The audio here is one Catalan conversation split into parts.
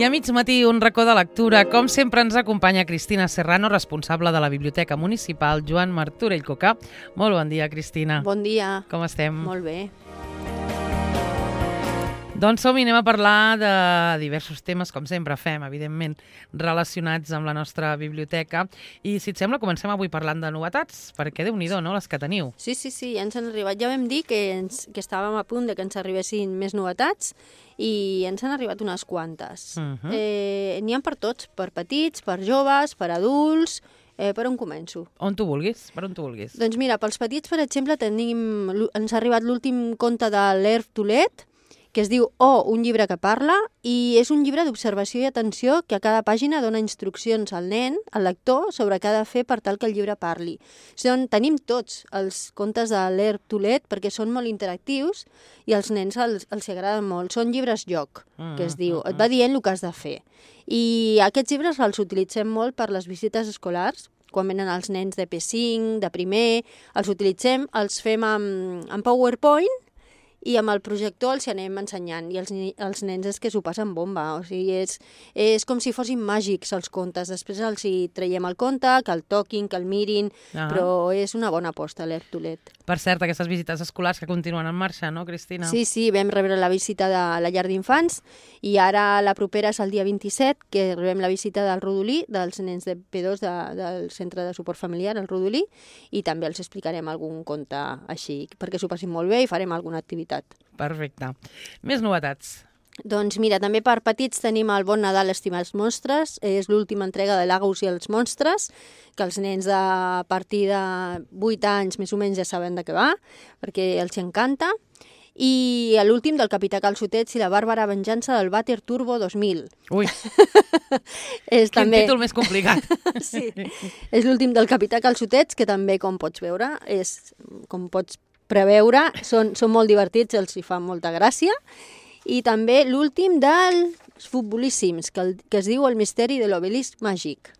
I a mig matí, un racó de lectura. Com sempre ens acompanya Cristina Serrano, responsable de la Biblioteca Municipal Joan Martorell Cocà. Molt bon dia, Cristina. Bon dia. Com estem? Molt bé. Doncs som i anem a parlar de diversos temes, com sempre fem, evidentment, relacionats amb la nostra biblioteca. I, si et sembla, comencem avui parlant de novetats, perquè Déu-n'hi-do, no?, les que teniu. Sí, ja ens han arribat. Ja vam dir que estàvem a punt de que ens arribessin més novetats i ens han arribat unes quantes. N'hi ha per tots, per petits, per joves, per adults. Per on començo? On tu vulguis, per on tu vulguis. Doncs mira, pels petits, per exemple, ens ha arribat l'últim conte de l'Herve Toulet, que es diu un llibre que parla, i és un llibre d'observació i atenció que a cada pàgina dona instruccions al nen, al lector, sobre què ha de fer per tal que el llibre parli. Tenim tots els contes de l'Herve Toulet perquè són molt interactius i als nens els agraden molt. Són llibres joc, que es diu. Et va dient el que has de fer. I aquests llibres els utilitzem molt per les visites escolars, quan venen els nens de P5, de primer, els utilitzem, els fem amb PowerPoint, i amb el projector els anem ensenyant, i els nens és que s'ho passen bomba, o sigui, és com si fossin màgics els contes. Després els hi traiem el conte, que el toquin, que el mirin, però és una bona aposta l'Herve Toulet. Per cert, aquestes visites escolars que continuen en marxa, no, Cristina? Sí, vam rebre la visita de la llar d'infants, i ara la propera és el dia 27, que rebem la visita del Rodolí, dels nens de P2 del Centre de Suport Familiar, el Rodolí, i també els explicarem algun conte així, perquè s'ho passin molt bé i farem alguna activitat. Perfecte. Més novetats. Doncs mira, també per petits tenim el Bon Nadal, estimats monstres. És l'última entrega de l'Agus i els monstres, que els nens a partir de 8 anys més o menys ja saben de què va, perquè els encanta. I l'últim del Capità Calçotets i la bàrbara venjança del Vàter Turbo 2000. Ui, quin títol més complicat. Sí, és l'últim del Capità Calçotets, que també, com pots veure, com pots preveure, són molt divertits, els hi fa molta gràcia. I també l'últim dels futbolíssims, que es diu El misteri de l'obelisc màgic.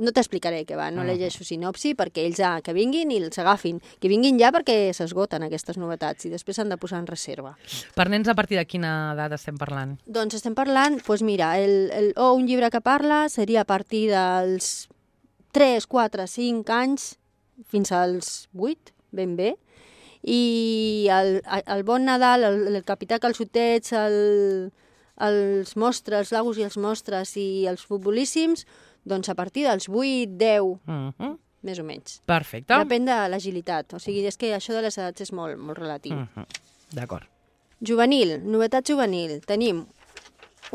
No t'explicaré què va, no llegeixo sinopsi, perquè ells que vinguin i els agafin. Que vinguin ja perquè s'esgoten aquestes novetats i després s'han de posar en reserva. Per nens, a partir de quina edat estem parlant? Doncs estem parlant, mira, un llibre que parla seria a partir dels 3, 4, 5 anys fins als 8, ben bé. I el Bon Nadal, el Capità Calçotets, els monstres, l'Agus i els monstres i els futbolíssims, doncs a partir dels 8, 10, més o menys. Perfecte. Depèn de l'agilitat, o sigui, és que això de les edats és molt, molt relatiu. D'acord. Juvenil, novetat juvenil. Tenim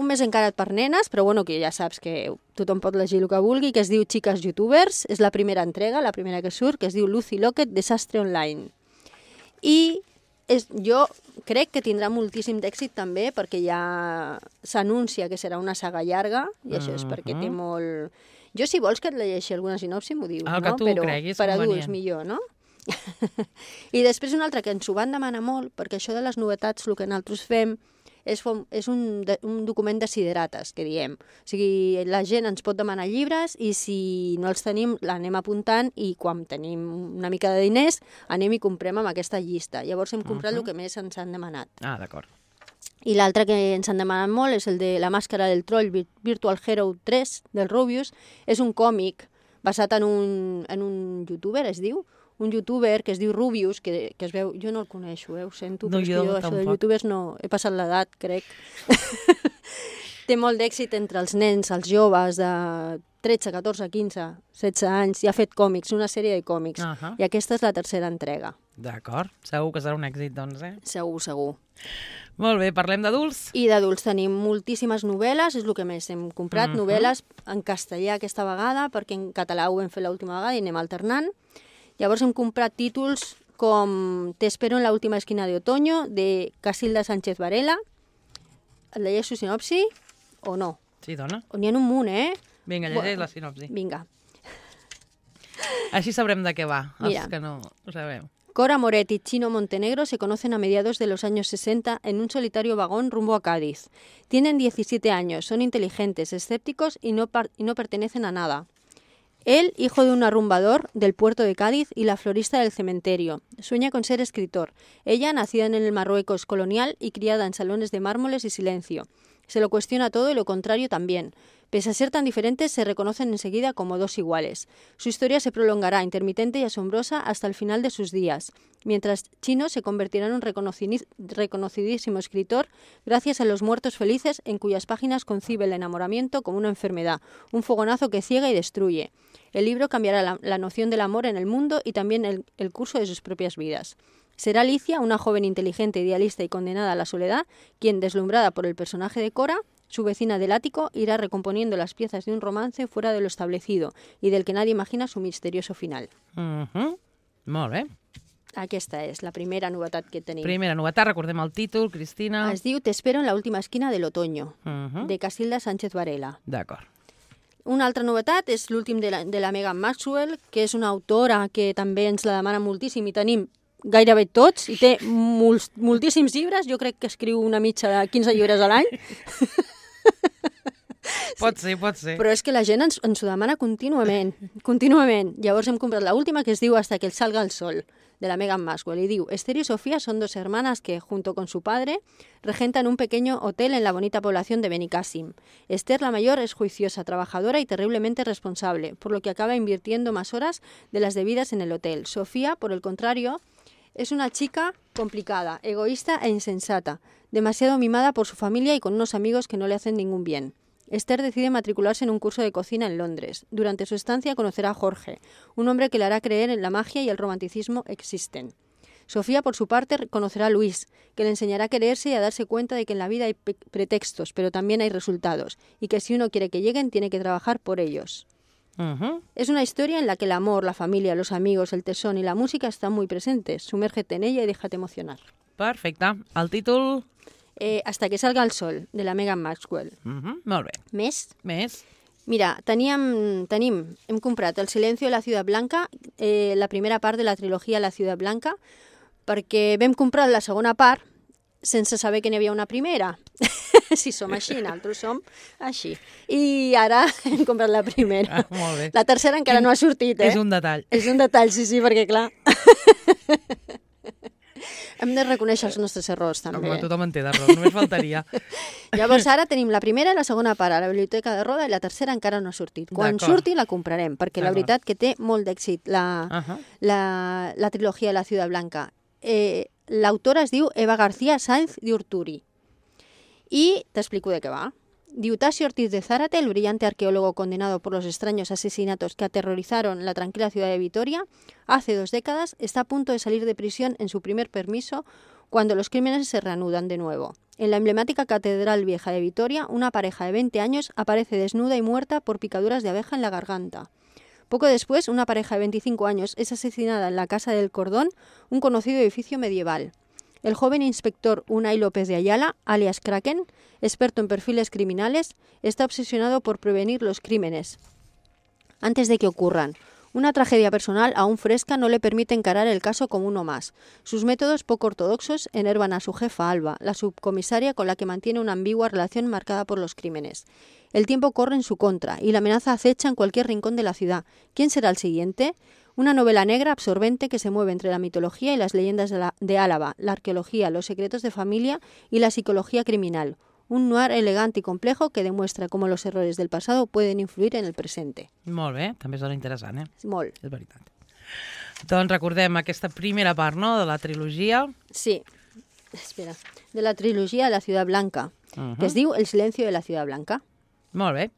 un més encarat per nenes, però bueno, que ja saps que tothom pot llegir el que vulgui, que es diu Xiques Youtubers, és la primera entrega, la primera que surt, que es diu Lucy Locket, Desastre Online. I jo crec que tindrà moltíssim d'èxit també, perquè ja s'anuncia que serà una saga llarga, i això és perquè té molt... Jo, si vols que et llegeixi alguna sinopsi, m'ho dius, no? El que tu creguis per convenient. adults millor, no? I després un altre que ens ho van demanar molt, perquè això de les novetats, el que nosaltres fem, és un document de siderates, que diem. O sigui, la gent ens pot demanar llibres i si no els tenim, l'anem apuntant i quan tenim una mica de diners anem i comprem amb aquesta llista. Llavors hem comprat el que més ens han demanat. Ah, d'acord. I l'altre que ens han demanat molt és el de La màscara del troll Virtual Hero 3 del Rubius. És un còmic basat en un youtuber, es diu, un youtuber que es diu Rubius, que es veu... Jo no el coneixo, ho sento, però jo això de youtubers no... He passat l'edat, crec. Té molt d'èxit entre els nens, els joves de 13, 14, 15, 16 anys. I ha fet còmics, una sèrie de còmics. I aquesta és la tercera entrega. D'acord. Segur que serà un èxit, doncs, Segur. Molt bé, parlem d'adults? I d'adults tenim moltíssimes novel·les, és el que més hem comprat, novel·les en castellà aquesta vegada, perquè en català ho vam fer l'última vegada i anem alternant. Llavors hem comprat títols com Te espero en la última esquina de otoño, de Casilda Sánchez Varela. Et llegeixo sinopsi o no? Sí, dona. N'hi ha un munt, Vinga, llegeix la sinopsi. Vinga. Així sabrem de què va, Mira. Els que no ho sabeu. Cora Moret y Chino Montenegro se conocen a mediados de los años 60 en un solitario vagón rumbo a Cádiz. Tienen 17 años, son inteligentes, escépticos y no pertenecen a nada. Él, hijo de un arrumbador del puerto de Cádiz y la florista del cementerio, sueña con ser escritor. Ella, nacida en el Marruecos colonial y criada en salones de mármoles y silencio. Se lo cuestiona todo y lo contrario también. Pese a ser tan diferentes, se reconocen enseguida como dos iguales. Su historia se prolongará, intermitente y asombrosa, hasta el final de sus días, mientras Chino se convertirá en un reconocidísimo escritor gracias a Los muertos felices, en cuyas páginas concibe el enamoramiento como una enfermedad, un fogonazo que ciega y destruye. El libro cambiará la noción del amor en el mundo y también el curso de sus propias vidas. Será Alicia, una joven inteligente, idealista y condenada a la soledad, quien, deslumbrada por el personaje de Cora, su vecina del ático, irá recomponiendo las piezas de un romance fuera de lo establecido y del que nadie imagina su misterioso final. Molt bé. Aquesta és la primera novetat que tenim. Primera novetat, recordem el títol, Cristina. Es diu Te espero en la última esquina del otoño, de Casilda Sánchez Varela. D'acord. Una altra novetat és l'últim de la Megan Maxwell, que és una autora que també ens la demana moltíssim i tenim gairebé tots, i té moltíssims llibres. Jo crec que escriu una mitja de 15 llibres a l'any. Pot ser, pot ser. Però és que la gent ens ho demana contínuament. Llavors hem comprat l'última, que es diu Hasta que salga el sol, de la Megan Maxwell, y diu: Esther y Sofía son dos hermanas que, junto con su padre, regentan un pequeño hotel en la bonita población de Benicàssim. Esther, la mayor, es juiciosa, trabajadora y terriblemente responsable, por lo que acaba invirtiendo más horas de las debidas en el hotel. Sofía, por el contrario, es una chica complicada, egoísta e insensata, demasiado mimada por su familia y con unos amigos que no le hacen ningún bien. Esther decide matricularse en un curso de cocina en Londres. Durante su estancia conocerá a Jorge, un hombre que le hará creer en la magia y el romanticismo existen. Sofía, por su parte, conocerá a Luis, que le enseñará a quererse y a darse cuenta de que en la vida hay pretextos, pero también hay resultados, y que si uno quiere que lleguen, tiene que trabajar por ellos. Es una historia en la que el amor, la familia, los amigos, el tesón y la música están muy presentes. Sumérgete en ella y déjate emocionar. Perfecte. El títol? Hasta que salga el sol, de la Megan Maxwell. Molt bé. Més? Mira, hem comprat El silencio de la ciudad blanca, la primera part de la trilogia La ciudad blanca, perquè vam comprar la segona part sense saber que n'hi havia una primera. Si som així, nosaltres som així. I ara hem comprat la primera. Molt bé. La tercera encara no ha sortit, És un detall. És un detall, sí, perquè clar... Hem de reconèixer els nostres errors, també. Home, tothom en té d'errors, només faltaria. Llavors ara tenim la primera i la segona part a la Biblioteca de Roda, i la tercera encara no ha sortit. Quan surti la comprarem, perquè la veritat que té molt d'èxit la trilogia de la Ciudad Blanca. L'autora es diu Eva García Sáenz de Urturi. I t'explico de què va. Diu: Tasio Ortiz de Zárate, el brillante arqueólogo condenado por los extraños asesinatos que aterrorizaron la tranquila ciudad de Vitoria hace 2 décadas, está a punto de salir de prisión en su primer permiso cuando los crímenes se reanudan de nuevo. En la emblemática Catedral Vieja de Vitoria, una pareja de 20 años aparece desnuda y muerta por picaduras de abeja en la garganta. Poco después, una pareja de 25 años es asesinada en la Casa del Cordón, un conocido edificio medieval. El joven inspector Unai López de Ayala, alias Kraken, experto en perfiles criminales, está obsesionado por prevenir los crímenes antes de que ocurran. Una tragedia personal aún fresca no le permite encarar el caso como uno más. Sus métodos poco ortodoxos enervan a su jefa Alba, la subcomisaria con la que mantiene una ambigua relación marcada por los crímenes. El tiempo corre en su contra y la amenaza acecha en cualquier rincón de la ciudad. ¿Quién será el siguiente? Una novela negra absorbente que se mueve entre la mitología y las leyendas de Álava, la arqueología, los secretos de familia y la psicología criminal. Un noir elegante y complejo que demuestra cómo los errores del pasado pueden influir en el presente. Molt bé, també sona interessant, Molt. És veritat. Doncs recordem aquesta primera part, no?, de la trilogia. Sí. Espera. De la trilogia de la Ciudad Blanca, que es diu El silencio de la Ciudad Blanca. Molt bé.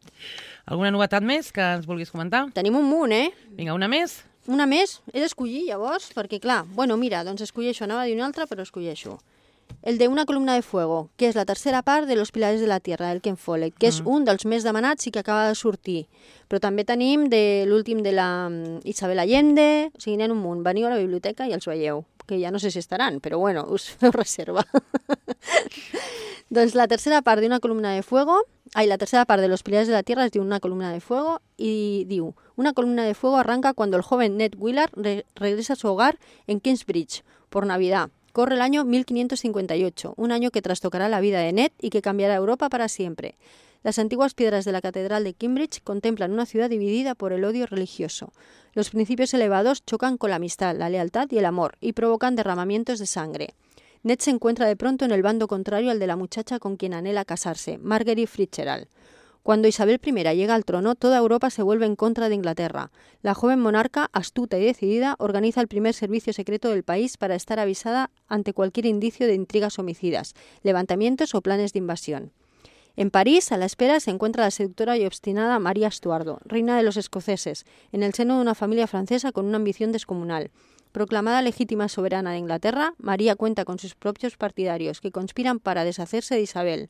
Alguna novetat més que ens vulguis comentar? Tenim un munt, Vinga, una més? Una més? He d'escollir, llavors, perquè clar, bueno, mira, doncs escolleixo, anava a dir una altra, però escolleixo. El de Una columna de fuego, que és la tercera part de Los pilars de la tierra, del Ken Follett, que és un dels més demanats i que acaba de sortir. Però també tenim l'últim de la Isabel Allende, o sigui, n'hi ha un munt. Veniu a la biblioteca i els veieu, que ja no sé si estaran, però bueno, us feu reserva. Doncs la tercera part de Una columna de fuego, la tercera part de Los pilares de la tierra es diu Una columna de fuego y diu: Una columna de fuego arranca cuando el joven Ned Willard regresa a su hogar en Kingsbridge por Navidad. Corre el año 1558, un año que trastocará la vida de Ned y que cambiará Europa para siempre. Las antiguas piedras de la Catedral de Cambridge contemplan una ciudad dividida por el odio religioso. Los principios elevados chocan con la amistad, la lealtad y el amor y provocan derramamientos de sangre. Ned se encuentra de pronto en el bando contrario al de la muchacha con quien anhela casarse, Marguerite Fitzgerald. Cuando Isabel I llega al trono, toda Europa se vuelve en contra de Inglaterra. La joven monarca, astuta y decidida, organiza el primer servicio secreto del país para estar avisada ante cualquier indicio de intrigas homicidas, levantamientos o planes de invasión. En París, a la espera, se encuentra la seductora y obstinada María Estuardo, reina de los escoceses, en el seno de una familia francesa con una ambición descomunal. Proclamada legítima soberana de Inglaterra, María cuenta con sus propios partidarios que conspiran para deshacerse de Isabel.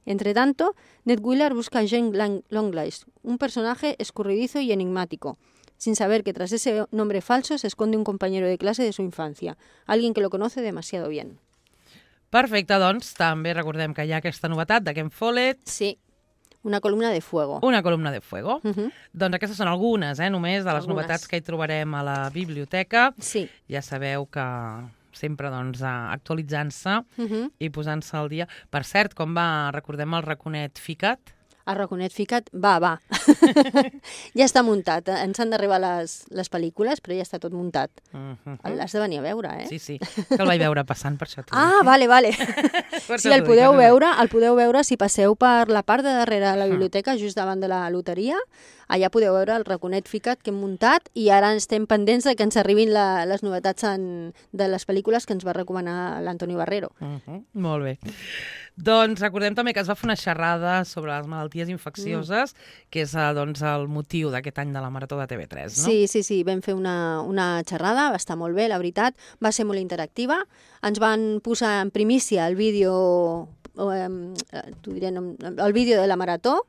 Entre tanto, Ned Wheeler busca a Jane Longlegs, un personaje escurridizo y enigmático, sin saber que tras ese nombre falso se esconde un compañero de clase de su infancia, alguien que lo conoce demasiado bien. Perfecte, doncs també recordem que hi ha aquesta novetat de Ken Follett. Sí, una columna de fuego. Una columna de fuego. Doncs aquestes són algunes, només, de les novetats que hi trobarem a la biblioteca. Sí. Ja sabeu que sempre doncs, actualitzant-se i posant-se al dia. Per cert, com va, recordem el raconet ficat? El raconet ficat, va. Ja està muntat. Ens han d'arribar les pel·lícules, però ja està tot muntat. L'has de venir a veure, eh? Sí, que el vaig veure passant, per això. Vale. Sí, el podeu veure si passeu per la part de darrere de la biblioteca, just davant de la loteria. Allà podeu veure el raconet ficat que hem muntat i ara estem pendents de que ens arribin les novetats de les pel·lícules que ens va recomanar l'Antoni Barrero. Molt bé. Doncs recordem també que es va fer una xerrada sobre les malalties infeccioses, que és doncs, el motiu d'aquest any de la Marató de TV3, no? Sí, vam fer una xerrada, va estar molt bé, la veritat, va ser molt interactiva. Ens van posar en primícia el vídeo de la Marató,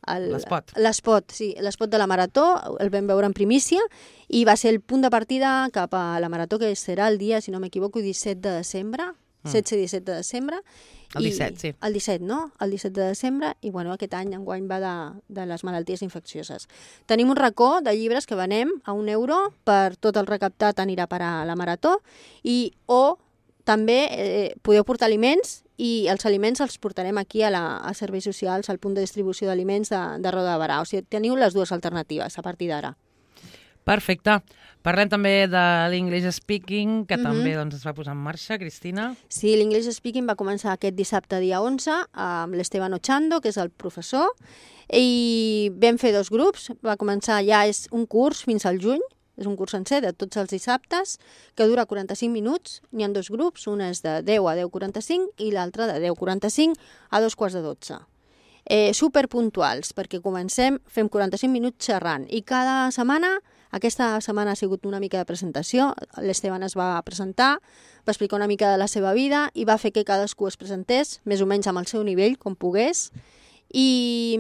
l'espot de la Marató, el vam veure en primícia i va ser el punt de partida cap a la Marató, que serà el dia, si no m'equivoco, 17 de desembre, 16 i 17 de desembre. El 17, sí. El 17, no? El 17 de desembre, i aquest any enguany va de les malalties infeccioses. Tenim un racó de llibres que venem a €1 per tot el recaptat anirà per a la Marató, o també podeu portar aliments i els aliments els portarem aquí a Serveis Socials, al punt de distribució d'aliments de Roda de Barà. O sigui, teniu les dues alternatives a partir d'ara. Perfecte. Parlem també de l'English Speaking, que també es va posar en marxa, Cristina. Sí, l'English Speaking va començar aquest dissabte, dia 11, amb l'Esteban Ochando, que és el professor, i vam fer 2 grups. Va començar, ja és un curs fins al juny, és un curs sencer de tots els dissabtes, que dura 45 minuts. N'hi ha 2 grups, un és de 10 a 10:45 i l'altre de 10:45 a 2:45. Superpuntuals, perquè comencem, fem 45 minuts xerrant, i cada setmana, aquesta setmana ha sigut una mica de presentació, l'Esteban es va presentar, va explicar una mica de la seva vida i va fer que cadascú es presentés, més o menys amb el seu nivell, com pogués, i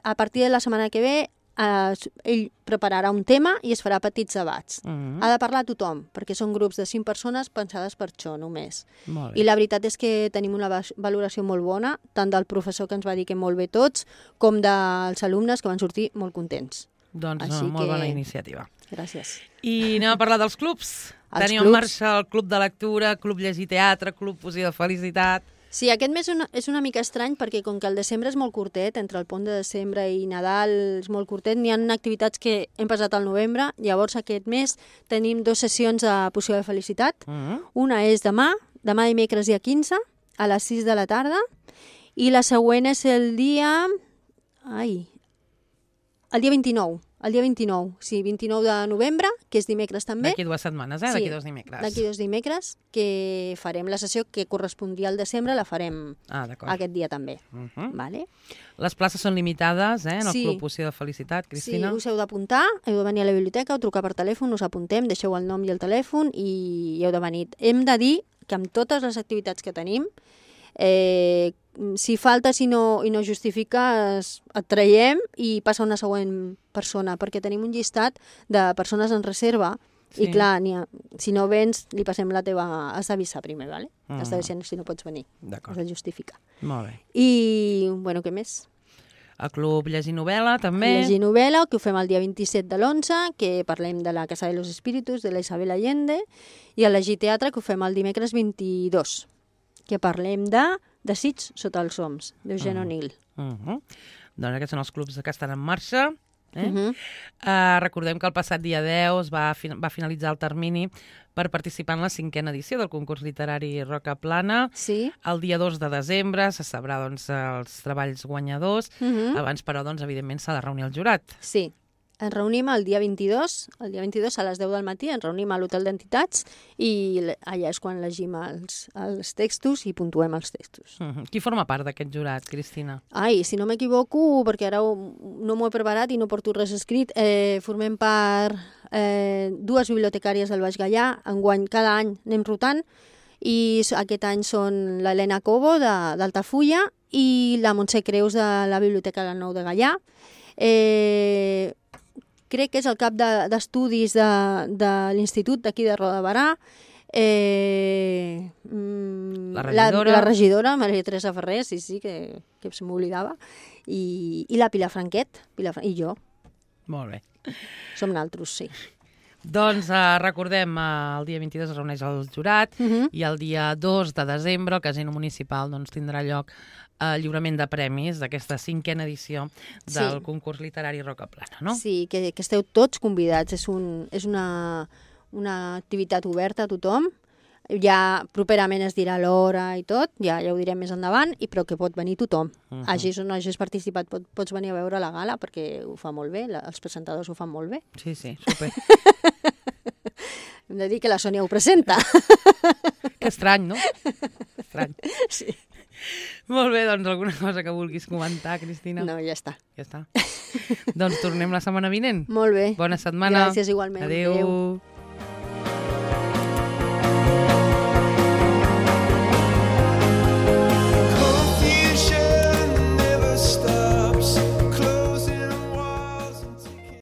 a partir de la setmana que ve ell prepararà un tema i es farà petits debats. Ha de parlar tothom, perquè són grups de 5 persones pensades per això només. I la veritat és que tenim una valoració molt bona, tant del professor, que ens va dir que molt bé tots, com dels alumnes, que van sortir molt contents. Doncs molt bona iniciativa. Gràcies. I anem a parlar dels clubs. Tenim en marxa el Club de Lectura, Club Llegir Teatre, Club Poesia de Felicitat. Sí, aquest mes és una mica estrany perquè com que el desembre és molt curtet, entre el pont de desembre i Nadal és molt curtet, n'hi ha activitats que hem passat al novembre, llavors aquest mes tenim 2 sessions de Poesia de Felicitat. Una és demà dimecres dia 15, a les 6 de la tarda, i la següent és el dia 29. El dia 29, sí, 29 de novembre, que és dimecres també. D'aquí 2 setmanes, D'aquí 2 dimecres. D'aquí 2 dimecres, que farem la sessió que correspondria al desembre, la farem aquest dia també. Vale? Les places són limitades, en el Club Poesia de Felicitat, Cristina? Sí, us heu d'apuntar, heu de venir a la biblioteca o trucar per telèfon, us apuntem, deixeu el nom i el telèfon i heu de venir. Hem de dir que amb totes les activitats que tenim, si faltes i no justifiques, et traiem i passa una següent persona, perquè tenim un llistat de persones en reserva i clar, si no vens, li passem la teva... Has d'avisar primer, ¿vale? Has d'avisar si no pots venir. Has de justificar. Molt bé. I, bueno, què més? El Club Llegir Novel·la, també. Llegir Novel·la, que ho fem el dia 27 de l'11, que parlem de la Casa de los Espíritus, de la Isabel Allende, i el Llegir Teatre, que ho fem el dimecres 22, que parlem de Desig sota els oms, d'Eugene O'Neill. Doncs aquests són els clubs que estan en marxa. Recordem que el passat dia 10 va finalitzar el termini per participar en la 5a edició del concurs literari Roca Plana. Sí. El dia 2 de desembre se sabrà doncs, els treballs guanyadors. Abans, però, doncs, evidentment, s'ha de reunir el jurat. Sí. Ens reunim el dia 22 a les 10 del matí, ens reunim a l'Hotel d'Entitats i allà és quan llegim els textos i puntuem els textos. Qui forma part d'aquest jurat, Cristina? Ai, si no m'equivoco, perquè ara no m'ho he preparat i no porto res escrit, formem part 2 bibliotecàries del Baix Gaià, enguany cada any anem rotant, i aquest any són l'Helena Cobo d'Altafulla i la Montse Creus de la Biblioteca del Nou de Gaià. Crec que és el cap d'estudis de l'Institut d'aquí de Roda de Barà, la regidora, Maria Teresa Ferrer, sí, que se m'oblidava, i la Pilar Franquet, i jo. Molt bé. Som naltros, sí. Doncs recordem, el dia 22 es reuneix el jurat i el dia 2 de desembre el Casino Municipal doncs, tindrà lloc el lliurament de premis d'aquesta 5a edició del concurs literari Roca Plana, no? Sí, que esteu tots convidats. És una activitat oberta a tothom. Ja properament es dirà l'hora i tot, ja ho direm més endavant, però que pot venir tothom. Hagis o no hagis participat, pots venir a veure la gala perquè ho fa molt bé, els presentadors ho fan molt bé. Sí, super. Hem de dir que la Sònia ho presenta. Que estrany, no? Estrany. Sí. Molt bé, doncs alguna cosa que vulguis comentar, Cristina? No, ja està. Ja està. Doncs tornem la setmana vinent. Molt bé. Bona setmana. Gràcies igualment. Adéu.